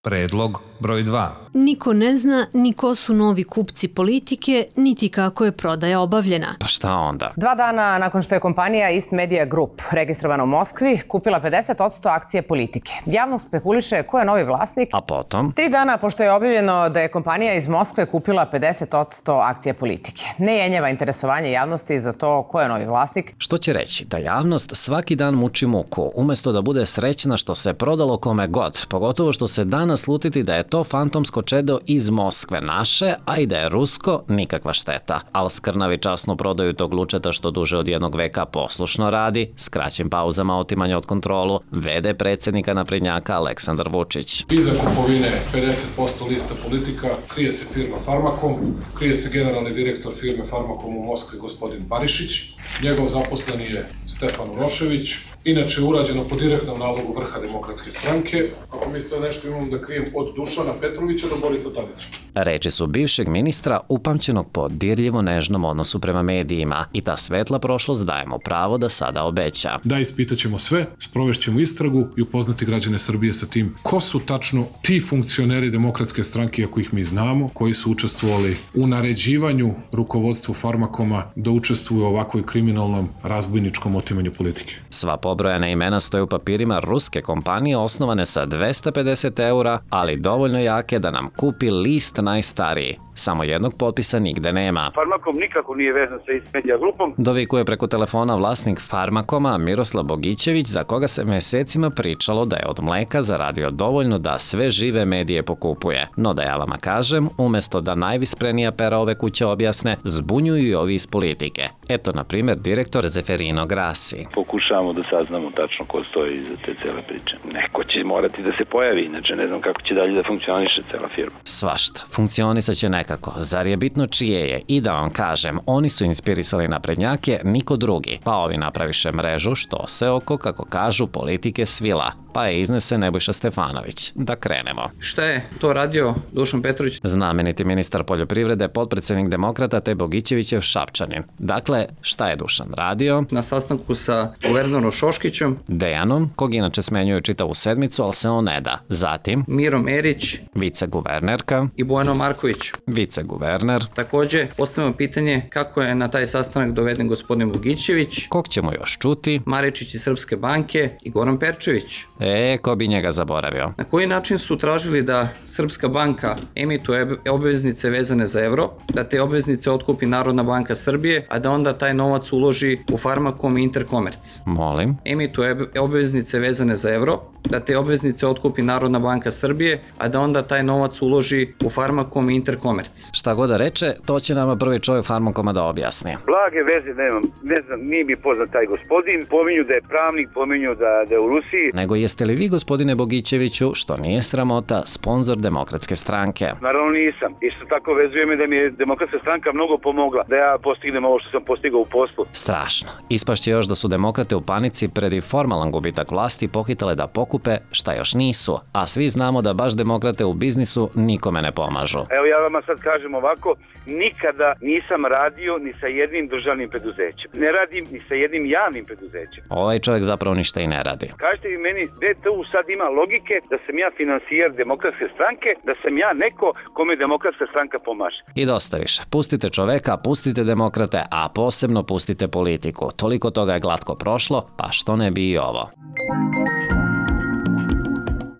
Predlog broj 2. Niko ne zna ni ko su novi kupci Politike, niti kako je prodaja obavljena. Pa šta onda? 2 dana nakon što je kompanija East Media Group, registrovana u Moskvi, kupila 50% akcije Politike. Javnost spekuliše ko je novi vlasnik. A potom? 3 dana pošto je objavljeno da je kompanija iz Moskve kupila 50% akcije Politike. Ne jenjava interesovanje javnosti za to ko je novi vlasnik. Što će reći da javnost svaki dan muči muku, umesto da bude srećna što se prodalo kome god, pogotovo što se danas slutiti da je to fantomsko čedo iz Moskve naše, a i da je rusko, nikakva šteta. Al skrnavi časno prodaju tog lučeta što duže od 1 veka poslušno radi, s kraćim pauzama otimanja od kontrolu, vede predsjednika naprednjaka Aleksandar Vučić. Iza kupovine 50% lista Politika krije se firma Farmakom, krije se generalni direktor firme Farmakom u Moskvi gospodin Barišić, njegov zaposleni je Stefan Urošević, inače urađeno po direktnom nalogu vrha Demokratske stranke. Ako mislite nešto imam da krijem od Dušana Petrovića do Borisa Tadića. Reči su bivšeg ministra upamćenog po dirljivo nežnom odnosu prema medijima i ta svetla prošlost daje mu pravo da sada obeća. Da, ispitaćemo sve, sprovešćemo istragu i upoznati građane Srbije sa tim ko su tačno ti funkcioneri Demokratske stranke, ako ih mi znamo, koji su učestvovali u naređivanju rukovodstvu Farmakoma da učestvuju u ovakvoj kriminalnom razbojničkom otimanju Politike. Sva pobrojana imena stoje u papirima ruske kompanije osnovane sa 250 eura, ali dovoljno jake da nam kupi list najstariji. Samo jednog potpisa nigde nema. Farmakom nikako nije vezan sa East Media Grupom. Dovikuje preko telefona vlasnik Farmakoma Miroslav Bogićević, za koga se mesecima pričalo da je od mleka zaradio dovoljno da sve žive medije pokupuje. No da ja vama kažem, umesto da najvisprenija pera ove kuće objasne, zbunjuju i ovi iz Politike. Eto, na primjer, direktor Zeferino Grassi. Pokušavamo da saznamo tačno ko stoji iza te cele priče. Neko će morati da se pojavi, inače ne znam kako će dalje da funkcioniše cela firma. Svašta, funkcionisat će nekako. Zar je bitno čije je? I da vam kažem, oni su inspirisali naprednjake, niko drugi. Pa ovi napraviše mrežu što se oko, kako kažu, Politike svila. Pa je iznese Nebojša Stefanović. Da krenemo. Šta je to radio Dušan Petrović? Znameniti ministar poljoprivrede, potpredsjednik Demokrata te Bogićevićev Šapčanin. Dakle, šta je Dušan radio? Na sastanku sa guvernerom Šoškićem, Dejanom, kog inače smenjuju čitavu sedmicu, ali se on ne da. Zatim, Mirom Erić viceguvernerka, i Bojanom Marković. viceguverner, Takođe, postavljamo pitanje kako je na taj sastanak doveden gospodin Bogićević, kog ćemo još čuti? Maričić iz Srpske banke i Goran Perčević. Ko bi njega zaboravio? Na koji način su tražili da Srpska banka emituje obveznice vezane za evro, da te obveznice otkupi Narodna banka Srbije, a da onda taj novac uloži u Farmakom i Interkomerc? Molim? Emituje obveznice vezane za evro, da te obveznice otkupi Narodna banka Srbije, a da onda taj novac uloži u Farmakom i Interkomerc. Šta god da reče, to će nama prvi čovjek Farmakoma da objasni. Blage veze nemam, ne znam, nije mi poznat taj gospodin, pominju da je pravnik, pominju da je u Rusiji. Nego jeste li vi, gospodine Bogićeviću, što nije sramota, sponzor Demokratske stranke? Naravno nisam. Isto tako vezuje me da mi je Demokratska stranka mnogo pomogla da ja postignem ovo što sam postigao u poslu. Strašno. Ispašće još da su demokrate u panici pred i formalan gubitak vlasti pohitale da pokupe šta još nisu, a svi znamo da baš demokrate u biznisu nikome ne pomažu. Evo ja vama sad kažem ovako, nikada nisam radio ni sa jednim državnim preduzećem. Ne radim ni sa jednim javnim preduzećem. Ovaj čovjek zapravo ništa i ne radi. Kažete vi meni, gde tu sad ima logike da sam ja finansijer Demokratske stranke, da sam ja neko kome Demokratska stranka pomaže. I dosta više. Pustite čoveka, pustite demokrate, a posebno pustite Politiku. Toliko toga je glatko prošlo, pa što ne bi i ovo.